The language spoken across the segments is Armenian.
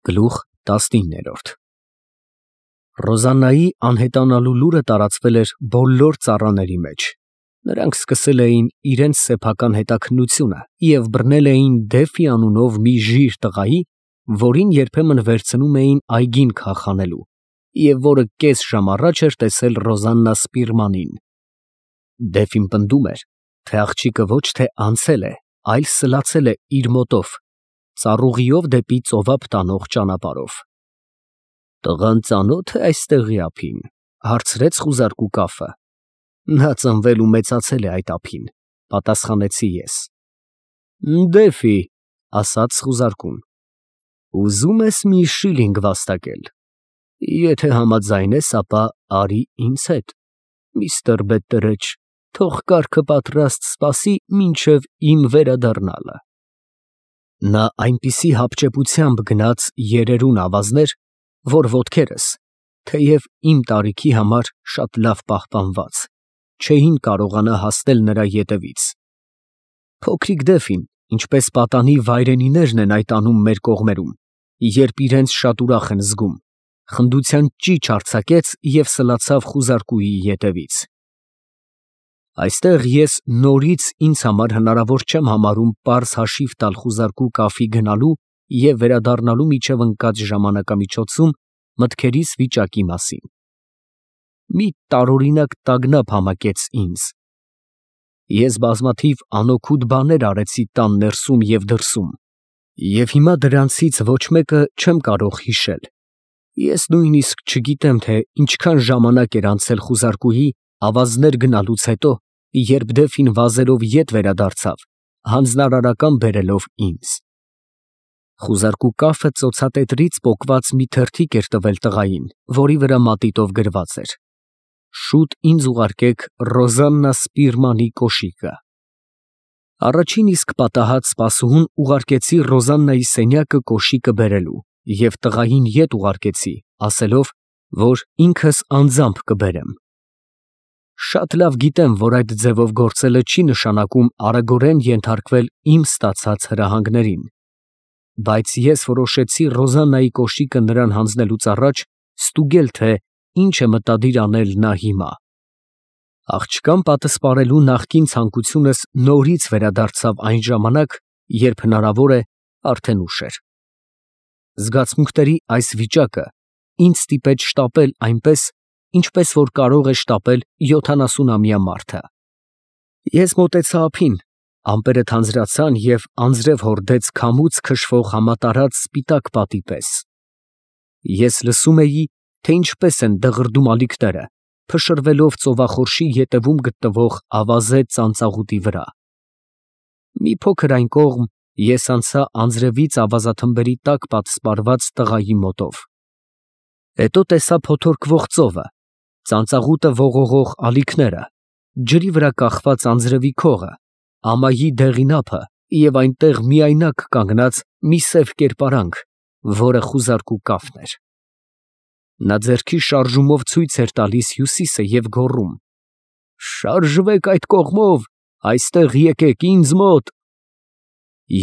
Գլուխ 19 Ռոզաննայի անհետանալու լուրը տարածվել էր բոլոր ծառաների մեջ. նրանք սկսել էին իրենց սեփական հետաքննությունը և բռնել էին Դեֆի անունով մի ժիր տղայի, որին երբեմն վերցնում էին այգին քախանելու, և որը կես ժամ առաջ էր տեսել Ռոզաննա Սպիրմանին։ Դեֆին պնդում էր, թե աղջիկը ոչ թե անցել է, այլ սլացել է իր մոտով, ծառուղիով դեպի ծովափ տանող ճանապարհով։ «Տղան ծանո՞թ է այստեղի ափին», հարցրեց խուզարկու կաֆը։ «Նա ծնվել ու մեծացել է այդ ափին», պատասխանեցի ես։ «Դեֆի», ասաց խուզարկուն, ուզում ես մի շիլինգ վաստակել։ Եթե համաձայն ես, ապա արի ինձ հետ, միստր Բետտերեջ, թող կառքը պատրաստ սպասի մինչև իմ վերադառնալը։ Նա այնպիսի հապճեպությամբ գնաց երերուն ավազներ, որ ոտքերս, թեև իմ տարիքի համար շատ լավ պահպանված, չէին կարողանա հասնել նրա ետևից։ Փոքրիկ Դեֆին, ինչպես պատանի վայրենիներն են այդ անում մեր կողմերում, երբ իրենց շատ ուրախ են զգում, խնդության ճիչ արձակեց և սլացավ խուզարկուի ետևից։ Այստեղ ես նորից ինձ համար հնարավոր չեմ համարում պարզ հաշիվ տալ խուզարկու կաֆի գնալու և վերադառնալու միջև ընկած ժամանակամիջոցում մտքերիս վիճակի մասին։ Մի տարօրինակ տագնապ համակեց ինձ։ Ես բազմաթիվ անօգուտ բաներ արեցի տան ներսում և դրսում, և հիմա դրանցից ոչ մեկը չեմ կարող հիշել։ Ես նույնիսկ չգիտեմ, թե ինչքան ժամանակ էր անցել խուզարկուի ավազներ գնալուց հետո, երբ Դեֆին վազելով ետ վերադարձավ, հանձնարարական բերելով ինձ։ Խուզարկու կաֆը ծոցատետրից պոկված մի թերթիկ էր տվել տղային, որի վրա մատիտով գրված էր. «Շուտ ինձ ուղարկեք Ռոզաննա Սպիրմանի կոշիկը»։ Առաջին իսկ պատահած սպասուհուն ուղարկեցի Ռոզաննայի սենյակը կոշիկը բերելու և տղային ետ ուղարկեցի, ասելով, որ ինքս անձամբ կբերեմ։ Շատ լավ գիտեմ, որ այդ ձևով գործելը չի նշանակում արագորեն ենթարկվել իմ ստացած հրահանգներին, բայց ես որոշեցի Ռոզաննայի կոշիկը նրան հանձնելուց առաջ ստուգել, թե ինչ է մտադիր անել նա հիմա։ Աղջկան պատսպարելու նախկին ցանկությունս նորից վերադարձավ այն ժամանակ, երբ հնարավոր է արդեն ուշ էր։ Զգացմունքների այս վիճակը ինձ ստիպեց շտապել այնպես, ինչպես որ կարող է շտապել 70-ամյա մարդը։ Ես մոտեցա ափին, ամպերը թանձրացան և անձրև հորդեց քամուց քշվող համատարած սպիտակ պատի պես։ Ես լսում էի, թե ինչպես են դղրդում ալիքները, փշրվելով ծովախորշի ետևում գտնվող ավազե ծանծաղուտի վրա։ Մի փոքր այն կողմ ես անցա անձրևից ավազաթմբերի տակ պատսպարված տղայի մոտով։ Հետո տեսա փոթորկվող ծովը, ծանծաղուտը ողողող ալիքները, ջրի վրա կախված անձրևի քողը, ամայի դեղին ափը և այնտեղ միայնակ կանգնած մի սև կերպարանք, որը խուզարկու կաֆն էր։ Նա ձեռքի շարժումով ցույց էր տալիս հյուսիսը և գոռում. «Շարժվեք այդ կողմով, այստեղ եկեք ինձ մոտ»։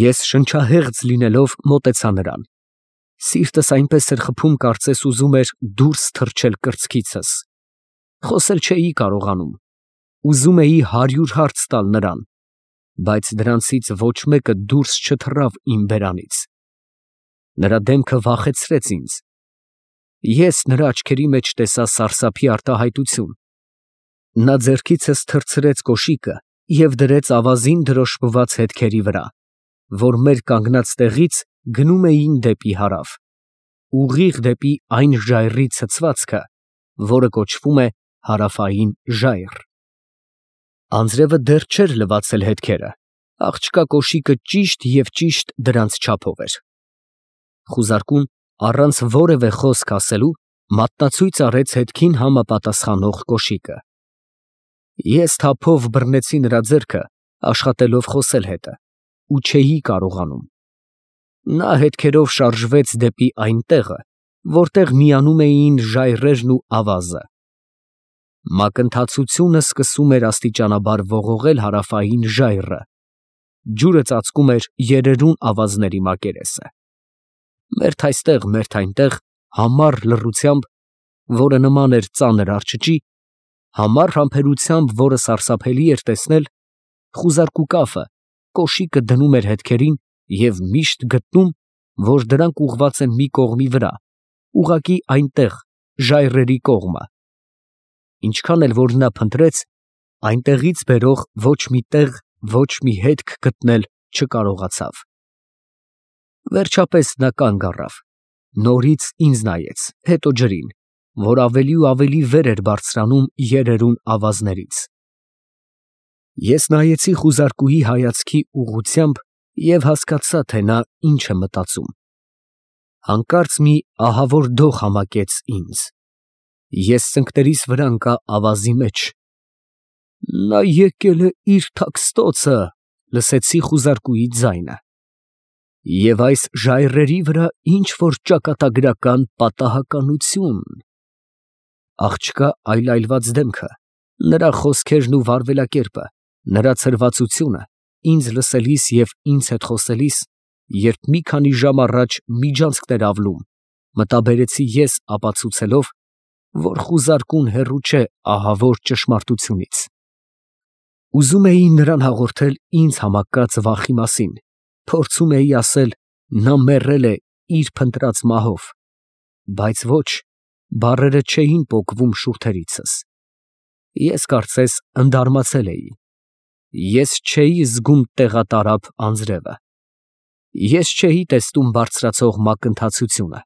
Ես շնչահեղձ լինելով մոտեցա նրան։ Սիրտս այնպես էր խփում, կարծես ուզում էր դուրս թռչել կրծքիցս։ Խոսել չէի կարողանում։ Ուզում էի 100 հարց տալ նրան, բայց դրանցից ոչ մեկը դուրս չթռավ իմ բերանից։ Նրա դեմքը վախեցրեց ինձ։ Ես նրա աչքերի մեջ տեսա սարսափի արտահայտություն։ Նա ձեռքիցս թռցրեց կոշիկը և դրեց ավազին դրոշմված հետքերի վրա, որ մեր կանգնած տեղից գնում էին դեպի հարավ, ուղիղ դեպի այն ժայռի ցցվածքը, որը կոչվում է Հարավային ժայռ։ Անձրևը դեռ չէր լվացել հետքերը, աղջկա կոշիկը ճիշտ և ճիշտ դրանց չափով էր։ Խուզարկուն առանց որևէ խոսք ասելու մատնացույց արեց հետքին համապատասխանող կոշիկը։ Ես թափով բռնեցի նրա ձեռքը, աշխատելով խոսել հետը, ու չէի կարողանում։ Նա հետքերով շարժվեց դեպի այն տեղը, որտեղ միանում էին ժայռերն ու ավազը։ Մակընթացությունը սկսում էր աստիճանաբար ողողել հարավային ժայռը, ջուրը ծածկում էր երերուն ավազների մակերեսը։ Մերթ այստեղ, մերթ այնտեղ, համառ լռությամբ, որը նման էր ծանր արջճի, համառ համբերությամբ, որը սարսափելի էր տեսնել, խուզարկու կաֆը կոշիկը դնում էր հետքերին և միշտ գտնում, որ դրանք ուղղված են մի կողմի վրա, ուղղակի այնտեղ, ժայռերի կողմը։ Ինչքան էլ որ նա փնտրեց, այնտեղից բերող ոչ մի տեղ, ոչ մի հետք գտնել չկարողացավ։ Վերջապես նա կանգ առավ, նորից ինձ նայեց, հետո ջրին, որ ավելի ու ավելի վեր էր բարձրանում երերուն ավազներից։ Ես նայեցի խուզարկուի հայացքի ուղղությամբ և հասկացա, թե նա ինչ է մտածում։ Հանկարծ մի ահավոր դող համակեց ինձ։ Ես ծնկներիս վրա ընկա ավազի մեջ։ «Նա եկել է իր թաքստոցը», լսեցի խուզարկուի ձայնը։ Եվ այս ժայռերի վրա ինչ֊որ ճակատագրական պատահականություն… Աղջկա այլայլված դեմքը, նրա խոսքերն ու վարվելակերպը, նրա ցրվածությունը ինձ լսելիս և ինձ հետ խոսելիս, երբ մի քանի ժամ առաջ միջանցքն էր ավլում, մտաբերեցի ես ապացուցելով, որ խուզարկուն հեռու չէ ահավոր ճշմարտությունից։ Ուզում էի նրան հաղորդել ինձ համակած վախի մասին, փորձում էի ասել, նա մեռել է իր փնտրած մահով, բայց ոչ, բառերը չէին պոկվում շուրթերիցս։ Ես կարծես ընդարմացել էի։ Ես չէի զգում տեղատարափ անձրևը։ Ես չէի տեսնում բարձրացող մակընթացությունը։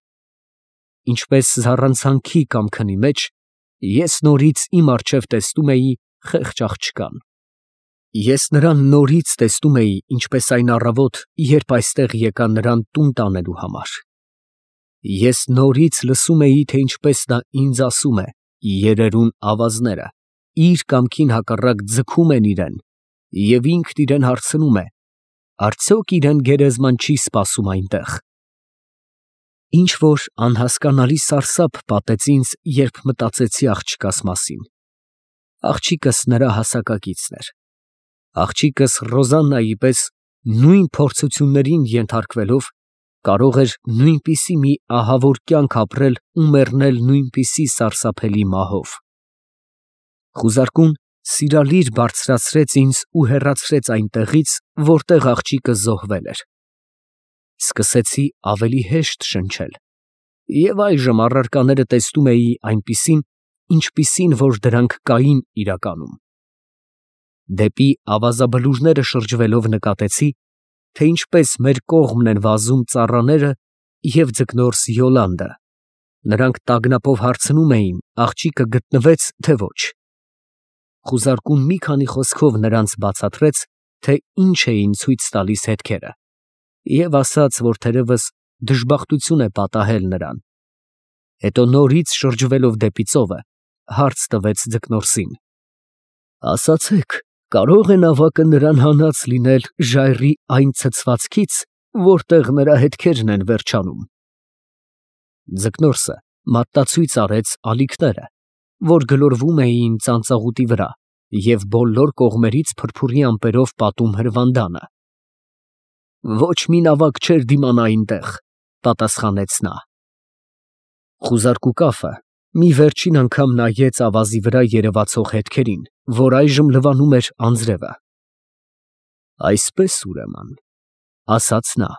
Ինչպես զառանցանքի կամ քնի մեջ, ես նորից իմ առջև տեսնում էի խեղճ աղջկան։ Ես նրան նորից տեսնում էի, ինչպես այն առավոտ, երբ այստեղ եկա նրան տուն տանելու համար։ Ես նորից լսում էի, թե ինչպես նա ինձ ասում է. երերուն ավազները իր կամքին հակառակ ձգում են իրան, և ինքն իրան հարցնում է. արդյոք իրան գերեզման չի սպասում այնտեղ։ Ինչ֊որ անհասկանալի սարսափ պատեց ինձ, երբ մտածեցի աղջկաս մասին։ Աղջիկս նրա հասակակիցն էր։ Աղջիկս Ռոզաննայի պես նույն փորձություններին ենթարկվելով, կարող էր նույնպիսի մի ահավոր կյանք ապրել ու մեռնել նույնպիսի սարսափելի մահով։ Խուզարկուն սիրալիր բարձրացրեց ինձ ու հեռացրեց այնտեղից, որտեղ աղջիկը զոհվել էր։ Սկսեցի ավելի հեշտ շնչել, և այժմ առարկաները տեսնում էի այնպիսին, ինչպիսին որ դրանք կային իրականում։ Դեպի ավազաբլուրները շրջվելով նկատեցի, թե ինչպես մեր կողմն են վազում ծառաները և ձկնորս Յոլանդը։ Նրանք տագնապով հարցնում էին, աղջիկը գտնվե՞ց, թե ոչ։ Խուզարկուն մի քանի խոսքով նրանց բացատրեց, թե ինչ էին ցույց տալիս հետքերը, և ասաց, որ թերևս դժբախտություն է պատահել նրան։ Հետո նորից շրջվելով դեպի ծովը, հարց տվեց ձկնորսին. ասացեք, կարո՞ղ է նավակը նրան հանած լինել ժայռի այն ցցվածքից, որտեղ նրա հետքերն են վերջանում։ Ձկնորսը մատնացույց արեց ալիքները, որ գլորվում էին ծանծաղուտի վրա և բոլոր կողմերից փրփուրի ամպերով պատում հրվանդանը։ Ոչ մի նավակ չէր դիմանա այնտեղ, պատասխանեց նա։ Խուզարկու կաֆը մի վերջին անգամ նայեց ավազի վրա երևացող հետքերին, որ այժմ լվանում էր անձրևը։ Այսպես ուրեմն, ասաց նա,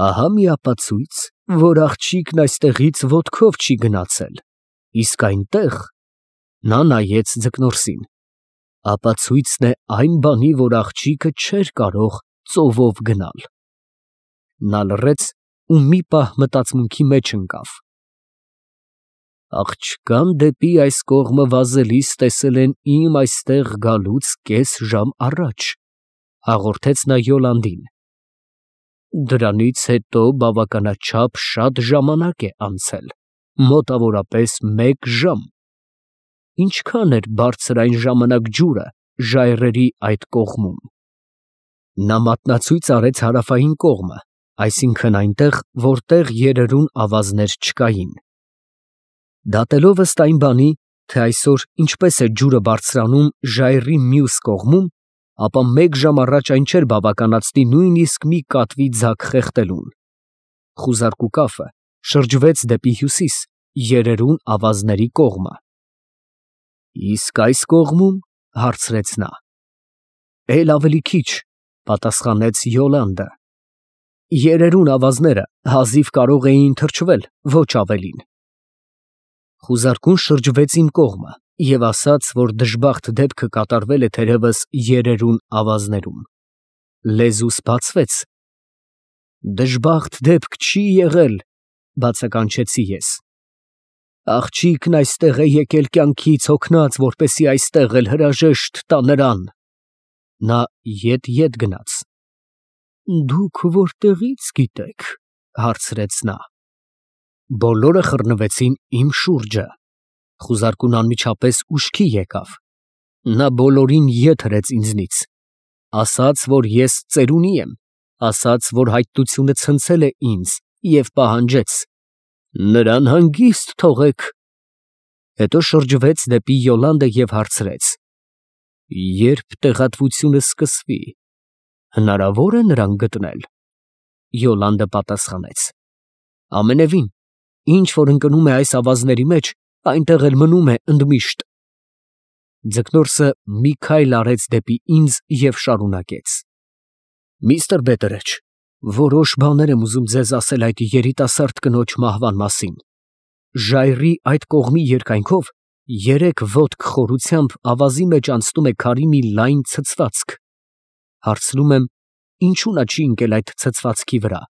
ահա մի ապացույց, որ աղջիկն այստեղից ոտքով չի գնացել, իսկ այնտեղ… Նա նայեց ձկնորսին. ապացույցն է այն բանի, որ աղջիկը չէր կարող ծովով գնալ։ Նա լռեց ու մի պահ մտածմունքի մեջ ընկավ։ Աղջկան դեպի այս կողմը վազելիս տեսել են իմ այստեղ գալուց կես ժամ առաջ, հաղորդեց նա Յոլանդին։ Դրանից հետո բավականաչափ շատ ժամանակ է անցել, մոտավորապես 1 ժամ։ Ինչքան էր բարձր այն ժամանակ ջուրը ժայռերի այդ կողմում։ Նա մատնացույց արեց հարավային կողմը, այսինքն այնտեղ, որտեղ երերուն ավազներ չկային։ Դատելով ըստ այն բանի, թե այսօր ինչպես է ջուրը բարձրանում ժայռի մյուս կողմում, ապա 1 ժամ առաջ այն չէր բավականացնի նույնիսկ մի կատվի ձագ խեղդելուն։ խուզարկու կափը շրջվեց դեպի հյուսիս, երերուն ավազների կողմը։ Իսկ այս կողմում, հարցրեց նա։ Էլ ավելի քիչ, պատասխանեց Յոլանդը։ Երերուն ավազները հազիվ կարող էին թրջվել, ոչ ավելին։ Խուզարկուն շրջվեց իմ կողմը և ասաց, որ դժբախտ դեպքը կատարվել է թերևս երերուն ավազներում։ Լեզուս բացվեց։ Դժբախտ դեպք չի եղել, բացականչեցի ես։ Աղջիկն այստեղ է եկել կյանքից հոգնած, որպեսզի այստեղ էլ հրաժեշտ տա նրան։ Նա ետ գնաց։ Դուք որտեղից գիտեք, հարցրեց նա։ Բոլորը խռնվեցին իմ շուրջը։ Խուզարկուն անմիջապես ուշքի եկավ։ Նա բոլորին ետ հրեց ինձնից։ Ասաց, որ ես ծերունի եմ, ասաց, որ հայտությունը ցնցել է ինձ և պահանջեց. նրան հանգիստ թողեք։ Հետո շրջվեց դեպի Յոլանդը և հարցրեց. երբ տեղատվությունը սկսվի, հնարավոր է նրան գտնել։ Յոլանդը պատասխանեց. ամենևին, ինչ որ ընկնում է այս ավազների մեջ, այնտեղ էլ մնում է ընդմիշտ։ Ձկնորսը մի քայլ արեց դեպի ինձ և շարունակեց. Միստր Բետերեջ, որոշ բաներ եմ ուզում ձեզ ասել այդ երիտասարդ կնոջ մահվան մասին։ Ժայռի այդ կողմի երկայնքով 3 ոտք խորությամբ ավազի մեջ անցնում է քարի մի լայն ցցվածք։ Հարցնում եմ, ինչու նա չի ընկել այդ ցցվածքի վրա։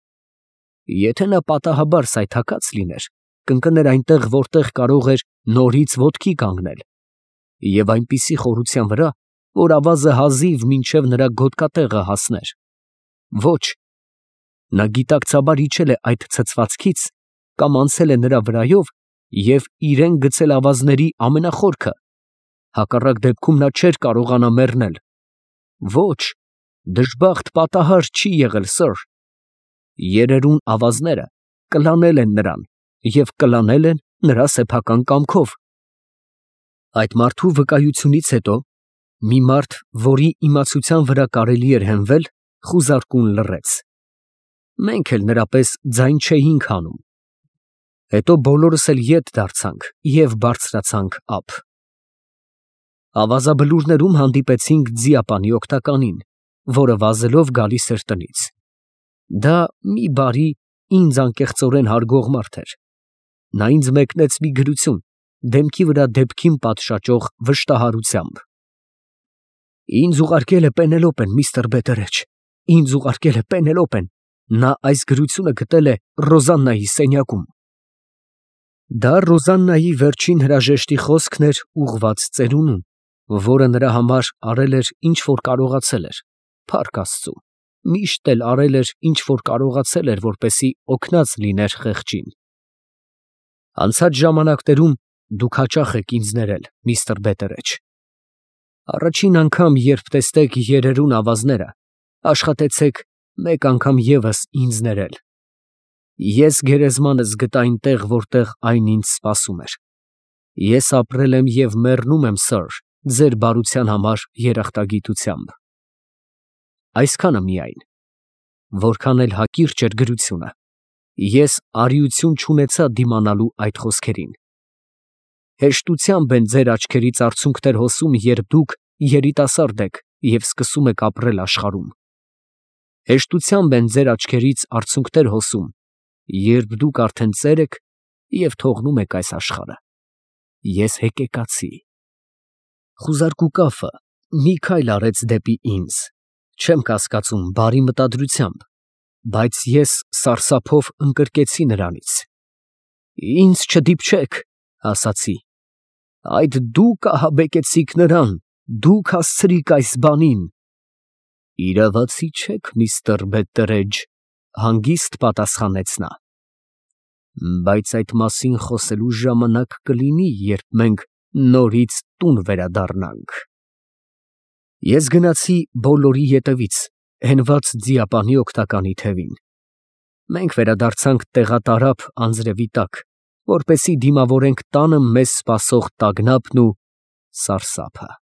Եթե նա պատահաբար սայթաքած լիներ, կընկներ այնտեղ, որտեղ կարող էր նորից ոտքի կանգնել, և այնպիսի խորության վրա, որ ավազը հազիվ մինչև նրա գոտկատեղը հասներ։ Ոչ, նա գիտակցաբար իջել է այդ ցցվածքից կամ անցել է նրա վրայով և իրեն գցել ավազների ամենախորքը, հակառակ դեպքում նա չէր կարողանա մեռնել։ Ոչ, դժբախտ պատահար չի եղել, սըր։ Երերուն ավազները կլանել են նրան և կլանել են նրա սեփական կամքով։ Այդ մարդու վկայությունից հետո մի մարդ, որի իմացության վրա կարելի էր հենվել, խուզարկուն լռեց։ Մենք էլ նրա պես ձայն չէինք հանում։ Հետո բոլորս էլ ետ դարձանք և բարձրացանք ափ։ Ավազաբլուրներում հանդիպեցինք ձիապանի օգնականին, որը վազելով գալիս էր տնից։ Դա մի բարի, ինձ անկեղծորեն հարգող մարդ էր։ Նա ինձ մեկնեց մի գրություն, դեմքի վրա դեպքին պատշաճող վշտահարությամբ։ Ինձ ուղարկել է Պենելոպեն, միստր Բետերեջ, ինձ ուղարկել է Պենելոպեն, նա այս գրությունը գտել է Ռոզաննայի սենյակում։ Դա Ռոզաննայի վերջին հրաժեշտի խոսքն էր ուղղված ծերունուն, որը նրա համար արել էր, ինչ որ կարողացել էր, փառք Աստծու, միշտ էլ արել էր, ինչ որ կարողացել էր, որպեսզի օգնած լիներ խեղճին։ Անցած ժամանակներում դուք հաճախ եք ինձ ներել, միստր Բետերեջ։ Առաջին անգամ, երբ տեսնեք երերուն ավազները, աշխատեցեք մեկ անգամ ևս ինձ ներել։ Ես գերեզմանս գտա այնտեղ, որտեղ այն ինձ սպասում էր։ Ես ապրել եմ և մեռնում եմ, սըր, ձեր բարության համար երախտագիտությամբ։ Այսքանը միայն, որքան էլ հակիրճ էր գրությունը, ես արիություն չունեցա դիմանալու այդ խոսքերին։ Հեշտությամբ են ձեր աչքերից արցունքներ հոսում, երբ դուք երիտասարդ եք և սկսում եք ապրել աշխարհում։ Հեշտությամբ են ձեր աչքերից արցունքներ հոսում, երբ դուք արդեն ծեր եք և թողնում եք այս աշխարհը։ Ես հեկեկացի։ Խուզարկու կափը մի քայլ արեց դեպի ինձ, չեմ կասկածում, բարի մտադրությամբ, բայց ես սարսափով ընկրկեցի նրանից։ Ինձ չդիպչեք, ասացի։ Այդ դուք ահաբեկեցիք նրան, դուք հասցրիք այս բանին։ Իրավացի չեք, միստր Բետերեջ, հանգիստ պատասխանեց նա։ Բայց այդ մասին խոսելու ժամանակ կլինի, երբ մենք նորից տուն վերադառնանք։ Ես գնացի բոլորի ետևից, հենված ձիապանի օգնականի թևին։ Մենք վերադարձանք տեղատարափ անձրևի տակ, որպեսզի դիմավորենք տանը մեզ սպասող տագնապն ու սարսափը։